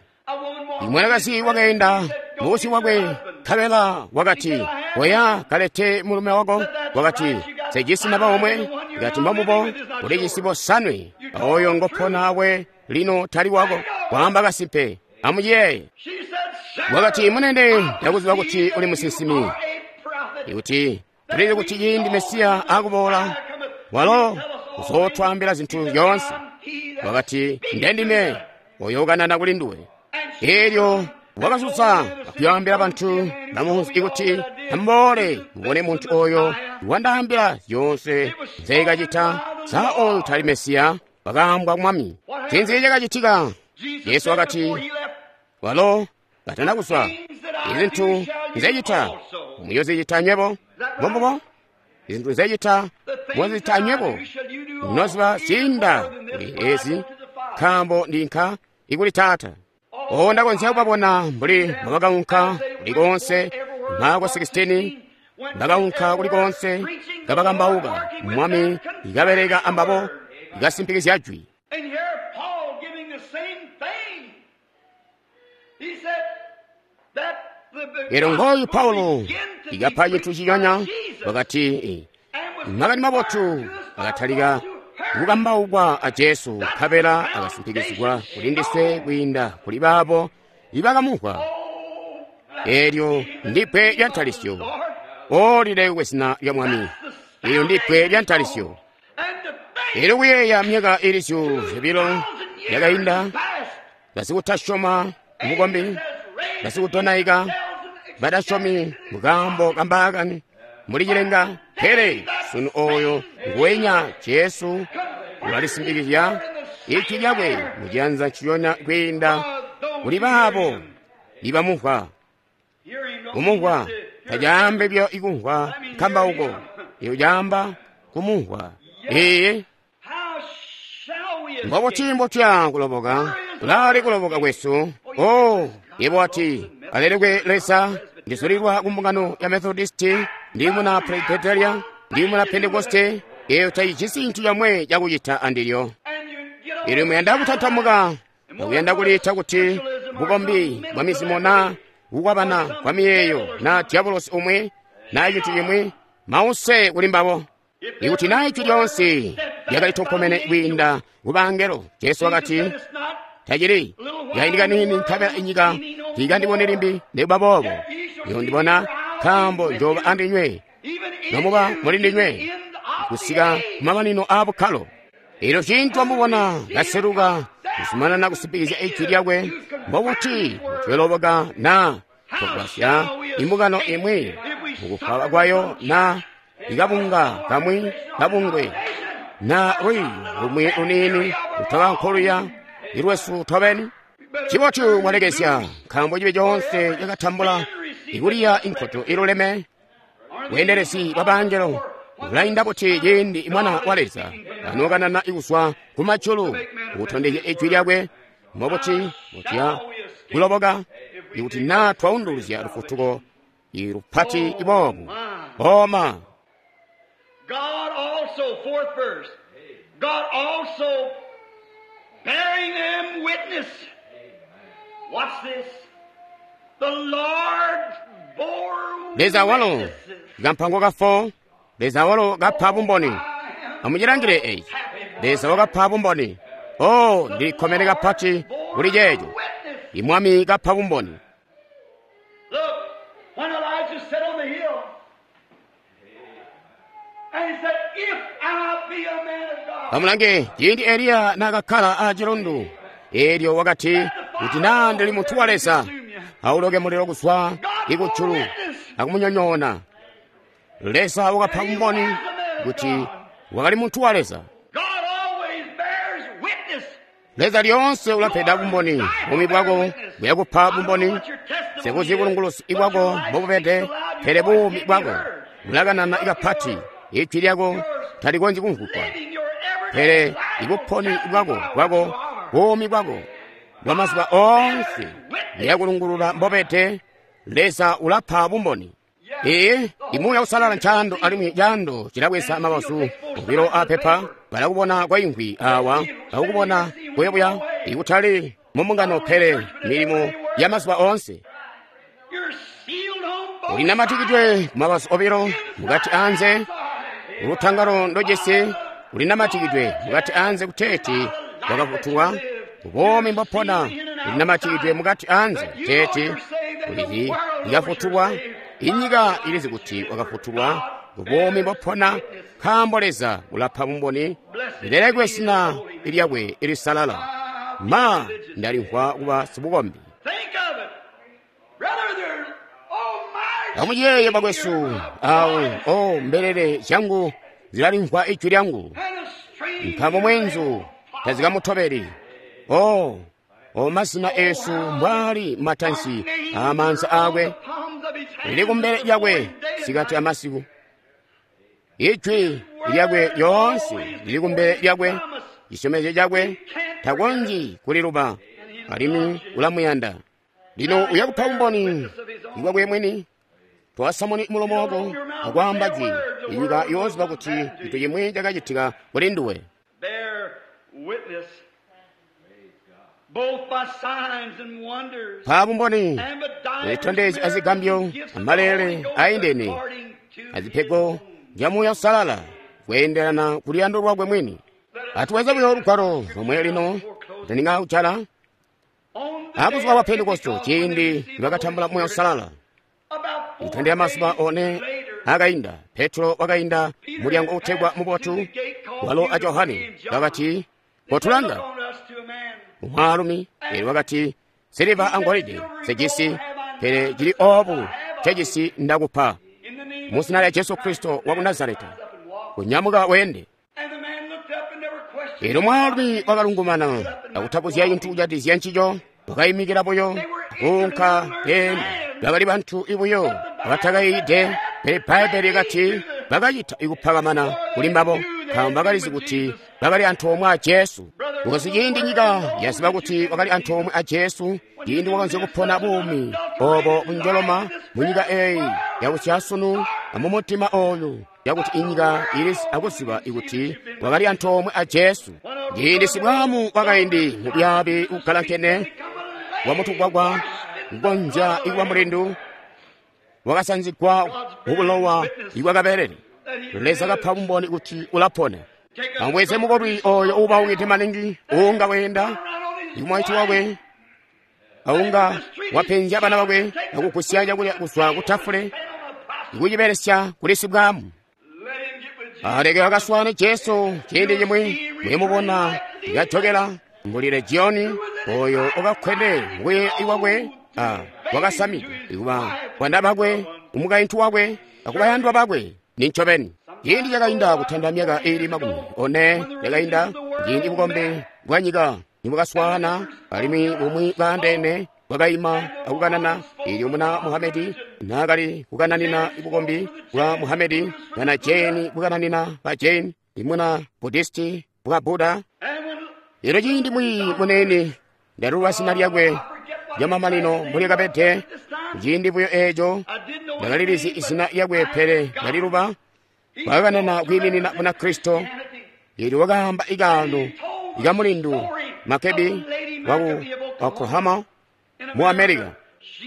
Imwanakazi wakaenda mubusyu bwakwe, nkabela wakati, Oya kalete mulume wako. Wakati, Sejisi naba omwe. Kati mbamubo ulijisi bosanwe, oyo ngopona awe lino tali wako. Kwaamba kasimpe. Amuyeeye. Wakati, Munene, ndakuziba kuti uli musinsimi, ikuti tulizi kuti ciindi Mesiya akuboola walo uzootwaambila zintu zyoonse. Wakati, Ndendime oyo ukanana kuli nduwe. Eelyo wakasusa akuyaambila bantu bamunzi ikuti, Amuboole mubone muntu oyo wandaambila zyoonse nzeekacita. Sa oyu tali Mesiya? Wakaambwa Mwami. Ncinzi cakacitika? Yesu wakati, walo katana kuzwa, izintu nzecita muyozicita nywebo. Mbombubo, izintu nzecita muyozicita nywebo, noziba ziinda kuli ezi, nkaambo ndinka ikuli Taata. O ndakonzya kubabona mbuli mbabakaunka kuli konse Marko 16, bakaunka kuli konse kabakambauka Mwami ikabeleka ambabo ikasimpikizya jwi. Lero ngoyu Paulo ikapha chinthu chichonya, wakati makani mabotu akatalika kukambaukwa a Jesu, nkabela akasimpikizigwa kuli ndiswe kwiinda kuli baabo ibakamumvwa. Eelyo ndi bbwe lya ntalisyo. O lilekwe zina lya Mwami. Eelyo ndi bbwe lya ntalisyo. Eelyo kuyeeya myaka ili 200 yakainda, basikutasyoma mubukombi, basikudonaika, badasyomi mukaambo kambaakani muli cilenga, pele sunu oyo nguwenya Jesu ulalisimpikizya ijwi lyakwe muciyanza nciyonya kwiinda kuli baabo ibamumvwa. Kumumvwa tacaambe byo ikumvwa nkambauko, iyo caamba kumumvwa. Ee, mbobuti mbotya kuloboka? Kulaali kuloboka kwesu. O, yebo wati, alelekwe Leza, ndizulilwa ku mbungano ya Methodisti, ndi muna Presbyteria, ndi muna Pentekoste. Eyo tayijisi cintu chomwe chakuchita andilyo. Ili muyanda kutantamuka, akuyanda kuliita kuti bukombi bwa mizimo na kukwabana kwa miyeeyo na diabolosi umwe na cinthu chimwe, mause kuli mbabo. Ikuti na ijwi lyonse lyakali tokomene kwiinda ku bangelo, Jesu wakati, tacili yayindika nini nkabela inyika tiikandibone limbi, nikuba boobo iyondibona, nkaambo njoba andinywe nomuba muli ndinywe kusika kumamanino a bukkalo. Elyo ciindi wamubona kaseluka kuzumanana kusimpikizya ijwi lyakwe, mbobuti tuyooloboka naa twagwasya imbungano imwi mukufwaba kwayo na ikabunga kamwi kabungwe na lwiiyo lumwi luniini lutaba nkoluya ilwesu tobeni? Cibotu mwalekezya, nkaambo cibi coonse cakatambula ikuliya inkoto iluleme. Bweendelezi bwa bangelo bulainda buti ciindi Mwana wa Leza anokanana kuzwa kumajulu kutondezya ijwi lyakwe? Mbobuti mutuya kuloboka ikuti naa twaunduluzya lufutuko ilupati boobu? Oma. God also, fourth verse, God also bearing them witness. Watch this. The Lord bore Leza walo witnesses. kampango ka 4, Leza walo kapa bumboni. Amucilangile eeci. Leza wakapa bumboni. Oh, ndilikkomene kapati kuli ceeco. Imwami kapa bumboni. Look, when Elijah sat on the hill, and he said, If I be a man of God, Amulange ciindi Eliya naakakkala aacilundu, eelyo wakati, kuti naa ndili muntu wa Leza, auloke mulilo kuzwa ikujulu akumunyonyoona. Leza wakapa bumboni kuti wakali muntu wa Leza. God always bears witness. Leza lyoonse ulapeda bumboni. Buumi bwako buyakupa bumboni. Sikuzi bulunguluzi bwako mbobubede, pele buumi bwako bulakanana kapati. Ijwi lyako talikonzyi kumvwugwa, Living your everyday pele life ibuponi will bwako testify bwako what you are. buumi bwako bwa mazuba oonse buyakulungulula mbobede. Leza ulapa bumboni. Ee, imuuya usalala ncaando alimwi caando cilabweza mabazu obilo apepa. Balakubona kwa imvwi awa, bakukubona buyabuya ikutali mumbungano, pele milimo ya mazuba oonse. You're sealed on both Ulinamatikidwe ku mabazu obilo, mukati anze. Ulutangalo ndojesi ulinamatikidwe mukati anze kuteeti wakafutulwa. Ubomi mbopona ulinamatikidwe mukati anze kuteeti ulizi ikafutulwa. Inyika ilizi kuti wakafutulwa. Ubomi mbopona, nkaambo Leza ulapa bumboni. Lilelekwe zina lyakwe ilisalala. Ma ndalimvwa kuba sibukombi. Think of it. Brother, there, oh my Amuyeeye bakwesu, awo o mbelele zyangu zilalimvwa ijwi lyangu, and a stranger nkaambo mwenzu tazikamutobeli. O o mazina esu mbwali matansi aamaanza aakwe, palms of his hand lili kumbele lyakwe sikati amasiku. Ijwi lyakwe lyoonse lili kumbele lyakwe, cisyomezyo cakwe takonzyi kuliluba, alimwi ulamuyanda. Lino uyakupa bumboni bwakwe mwini. Twasamuni mulomo wako akwaamba jwi, inyika yooziba kuti cintu chimwi chakachitika kuli nduwe. bear witness both by signs and wonders Pa bumboni and by divers zitondezi azigambyo, miracles and gifts of the amalele Holy Ghost aindene, according to azipego his zya Muuya Usalala kuyeendelana ku luyando lwakwe mwini. Atuweze buyo lugwalo lomwe lino tandinga kucala. On the Abuzuba day bwa of Pentekosto Pentecost, when they ciindi received the nibakatambula Holy Muuya Spirit, Usalala, about four kutandira mazuba days one later, akainda, Petro wakainda mulyango utegwa mubotu, walo a Johane bakati, kotulanga. Look on us to a man. Mwaalumi eelyo wakati, siliva angolide sejisi, pele cili oobu cejisi ndakupa. In the name Mu of zina lya Jesu Kristo wa ku Nazareta, up and walk. kunyamuka wende. And the man looked up and never questioned. Eelyo mwaalumi wakalungumana akutapuzya cintu kujatikizya ncico, wakayimikila buyo kuunka peni. Bakali bantu ibuyo abatakayiide, pele Bbayibbele likati bakacita ikupakamana kuli mbabo, nkaambo bakalizi kuti bakali antoomwe a Jesu. Because ciindi nyika yaziba kuti wakali antoomwe a Jesu, ciindi wakonzya kupona buumi obo bunjoloma munyika eeyi yakusyasunu amumutima oyu, yakuti inyika ili akuziba ikuti wakali antoomwe a Jesu. Ciindi sibwamu wakaindi mubyabi ukalankene wamutukwakwa kukonzya ikuba mulindu wakasanzigwa mubulowa ibwakabelele. Leza kapa bumboni kuti ulapona. Amubweze mukolwi oyo uubaukide maningi uunga weenda ikumwaiti wakwe aunga wapenzya bana bakwe akugusya cakulya kuzwa kutafule ikucibelesya kuli sibwamu. Let him get with Jesus. Aleke akaswane Jesu ciindi cimwi muyemubona ikajokela Mbuli Legioni oyo wakakkwede mukuyeeya kwakwe a wakasamide kuba bwanda bakwe, umukaintu wakwe, akubayandwa bakwe. Nincobeni. Ciindi cakainda kutanda myaka iili 40 yakainda, ciindi bukombi bwa nyika nibwakaswaana alimwi bumwi bwaandeene bwakaima akukanana. Eelyo muna Muhamedi naakali kukananina bukombi bwa Muhamedi, bana Jane bukananina ba Jane, imuna Buddhisti bwa Buddha. Eelyo ciindi mwiiyi munene ndalulwa zina lyakwe lyamamanino mbulyakabede, ciindi buyo eeco ndakalilizi izina lyakwe pele ndaliluba. Wakakanana kwiiminina Bunakristo. Eelyo wakaamba ikaano ikamulindu Makebi waku Oklahoma mu America.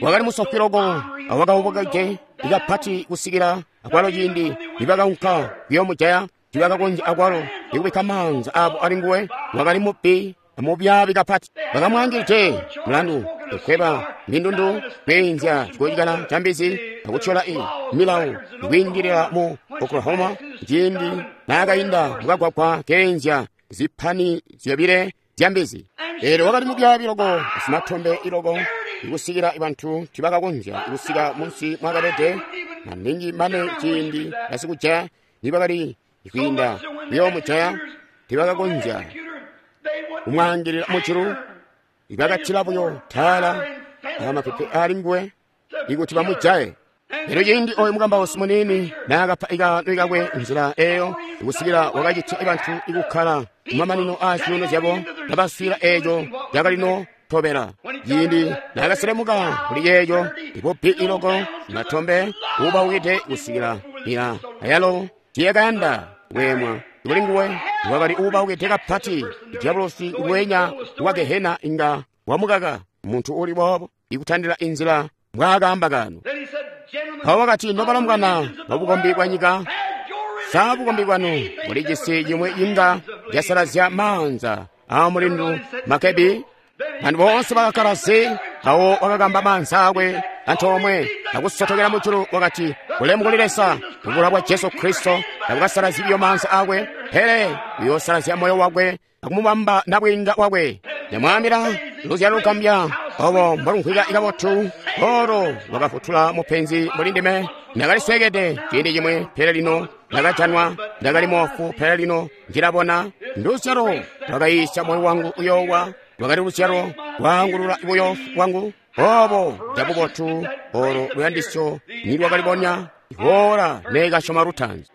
Wakali musofwi loko awakaubukaje ikapati kusikila akwalo ciindi nibakaunka kuyoomujaya tibakakonzya akwalo ikubikka maanza abo ali nguwe. Wakali mubbi amubyaabi kapati. Bakamwaangilide mulandu kukweba mindundu, kweenzya cikocikala ca mbizi, akutyola milawo ikwiingilila mu Oklahoma ciindi naakainda mukagwagwa keenzya zipani zyobile zya mbizi. Eelyo wakali mubyaabi loko, simatombe iloko, ikusikila bantu tibakakonzya kusika munsi mwakabede maningi mane ciindi basikujaya nibakali kwiinda kuyoomujaya tibakakonzya kumwaangilila mujulu. Ibakattila buyo taala amapepe ali nguwe ikuti bamujaye. Elyo ciindi oyo mukambausi muniini naakapa ikaano kakwe nzila eyo ikusikila wakacitya bantu ikukkala kumamanino aa zyuuno zyabo kabaswiila eeco cakalino tobela. Ciindi naakaselemuka kuli yeeco ibubbi iloko matombe uubaukide kusikila ila ayalo tiyakayanda kweemwa kuli nguwe. Wakali uubaukide kapati. Diabolosi ngweenya wa Gehena inga wamukaka muntu uli boobo ikutandila inzila mbwaakaamba kano. Mpawo wakati, nobalombwana babukombi bwa nyika, sa bukombi bwanu bulijisi cimwi inga casalazya maanza aa mulindu Makebi? Bantu boonse bakakkala zi. Mpawo wakakamba maanza akwe antoomwe akusotokela mujulu, wakati, bulemu kuli Leza, kubula bwa Jesu Kristo tabukasalazyi biyo maanza akwe, pele uyoosalazya moyo wakwe akumubamba nabwiinga wakwe. Ndamwaambila luzyalo lugambya obo mbolumvwika kabotu olo lwakafutula mupenzi mbuli ndime. Ndakalisweekede ciindi cimwe, pele lino ndakajanwa. Ndakali moofu, pele lino ndilabona. Nduzyalo lwakayiisya moyo wangu uyoowa, lwakali luzyalo lwaangulula buyofu bwangu. Obo njabubotu olo luyandisyo nilwakalibonya iboola neekasyoma lutaanzi.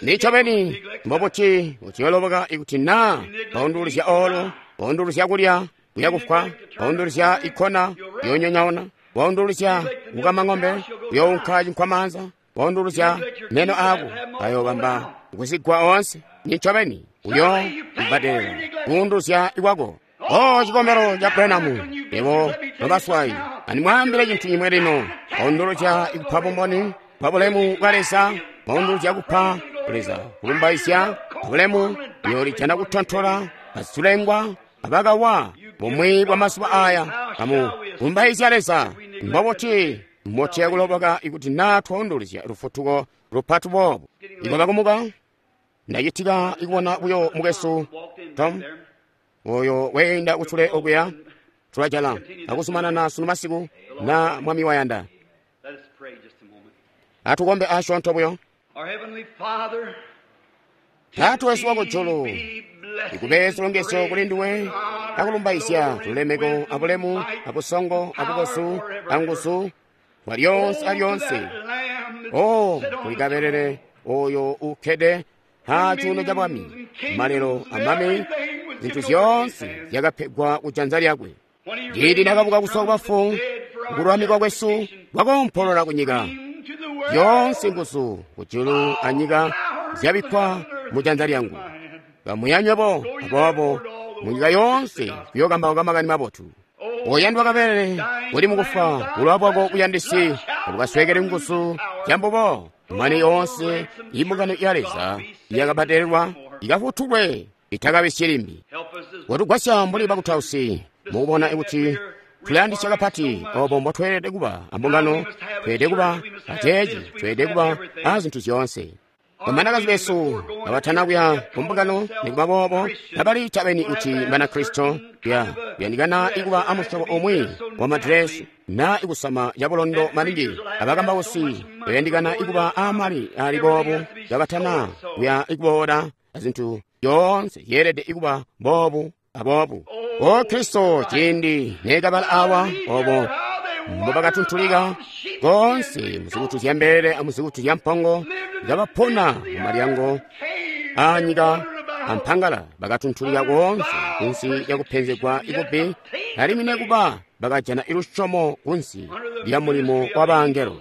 Nincobeni mbobuti uciyoloboka ikuti naa baunduluzya olo, baunduluzya kulya kuyakufwa, baunduluzya ikona yoonyonyaona, baunduluzya kukama ng'ombe kuyounka cinkwamaanza, baunduluzya meno aako ayoobamba kuzigwa oonse. Nincobeni uyo kubbadelela kuunduluzya kwako. O cikombelo ca Branham, yebo nobaswayi, andimwaambile cintu cimwe lino. Baunduluzya ikupa bumboni bwa bulemu bwa Leza, baunduluzya kupa Leza kulumbaizya bulemu, uyoolijana kutontola bazulengwa abakawa bumwi bwa mazuba aya. Kamu kulumbaizya Leza. Mbobuti motiya kuloboka ikuti naa twaunduluzya lufutuko lupati boobu? Ikwakakumuka ndacitika ikubona buyo mukwesu Tom oyo weenda kucule okuya. Tulajala akuzumanana sunu masiku na Mwami wayanda. Atukombe asyoonto buyo. Taata wesu wakujulu, ikube zilongezyo kuli nduwe akulumbaizya lulemeko abulemu abusongo abukosu anguzu bwa lyonse alyonse. O kuli kabelele oyo ukkede ha cuuno ca bwami, malelo amami, zintu zyoonse zyakapegwa kujanza lyakwe. Ciindi nakabuka kuzwa kubafu, kululamikwa kwesu kwakoompolola kunyika. Zyoonse nguzu kujulu anyika zyabikkwa mujanza lyangu. Kamuya nywebo aboobo munyika yoonse kuyookambauka makani mabotu. Oyandwa kabelele uli mukufa, bulowa bwako buyandisi tabukasweekeli nguzu zyambubo. Mane yoonse imbungano ya Leza yakabbadelelwa ikafutulwe itakabisyi limbi. Watugwasya mbuli bakutausi mukubona kuti tulayandisya kapati obo mbotweelede kuba ambungano, tweelede kuba aceeci, tweelede kuba azintu zyoonse. Bamanakazi besu kabatana kuya kumbungano, nikuba boobo kabali cabeni kuti Banakristo, kuyandikana ikuba amusyobo umwi wa madresi na ikusama cabulondo maningi. Abakambausi bayandikana ikuba amali ali boobu kabatana kuya ikuboola, azintu zyoonse zyeelede ikuba boobu aboobu. O Kristo, ciindi nekabala awa obo mbobakatuntulika konse muzikutu zya mbelele amuzikutu zya mpongo, kabapona mu malyango a nyika ampangala, bakatuntulika koonse kunsi lyakupenzegwa ikubbi, alimwi nekuba bakajana ilusyomo kunsi lya mulimo wa bangelo.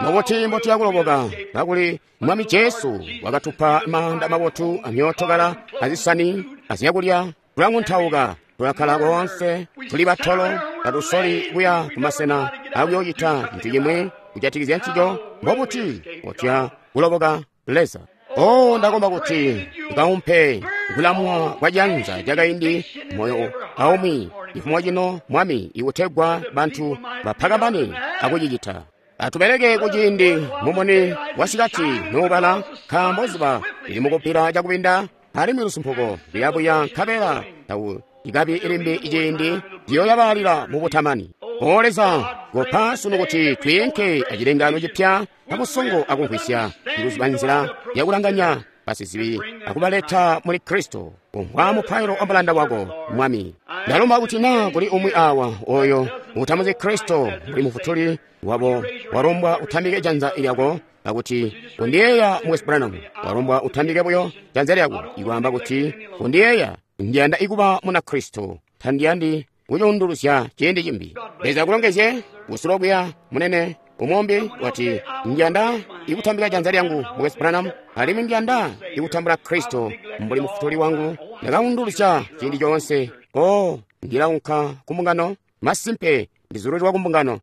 Mubuti mbotuya kuloboka kakuli Mwami Jesu wakatupa maanda mabotu amyootokala azisani azyakulya, tulanguntauka, tulakkala koonse, tuli batolo, tatusoli kuya kumasena akuyoocita cintu cimwi kujatikizya ncico. Mbobuti mbotuya kuloboka Leza? O, ndakomba kuti ukaumpe kulamwa kwa janza lyakaindi moyo aumwi cifumo cino, Mwami, ikutegwa bantu bapakabane akucicita. Atubeleke kuciindi mumuni wasikati nuubala, nkaambo zuba lili mukubbila cakubinda, alimwi lusumpuko luyabuya, nkabela tawu ikabi ilimbi iciindi liyoyabalila mubutamani. O Leza, kopa sunu kuti twiinke acilengano cipya abusongo akumvwisya, ikuziba nzila yakulanganya basizibi akubaleta muli Kristo. Umvwa mupailo wa mulanda wako, Mwami. Ndalomba kuti naa kuli umwi awa oyo utamuzi Kristo mbuli mufutuli wabo, walombwa utambike janza lyako akuti kundiyeeya Mukwesu Branham. Walombwa utambike buyo janza lyako ikwaamba kuti kundiyeeya, ndiyanda ikuba muna Kristo, tandiyandi kucuunduluzya ciindi cimbi. Leza akulongezye kusulo kuya munene. Umombi wati, ndiyanda ikutambika janza lyangu Mukwesu Branham, alimwi ndiyanda ikutambula Kristo mbuli mufutuli wangu. Ndakaunduluzya ciindi coonse. O, ndilaunka kumbungano, masimpe ndizululwa kumbungano.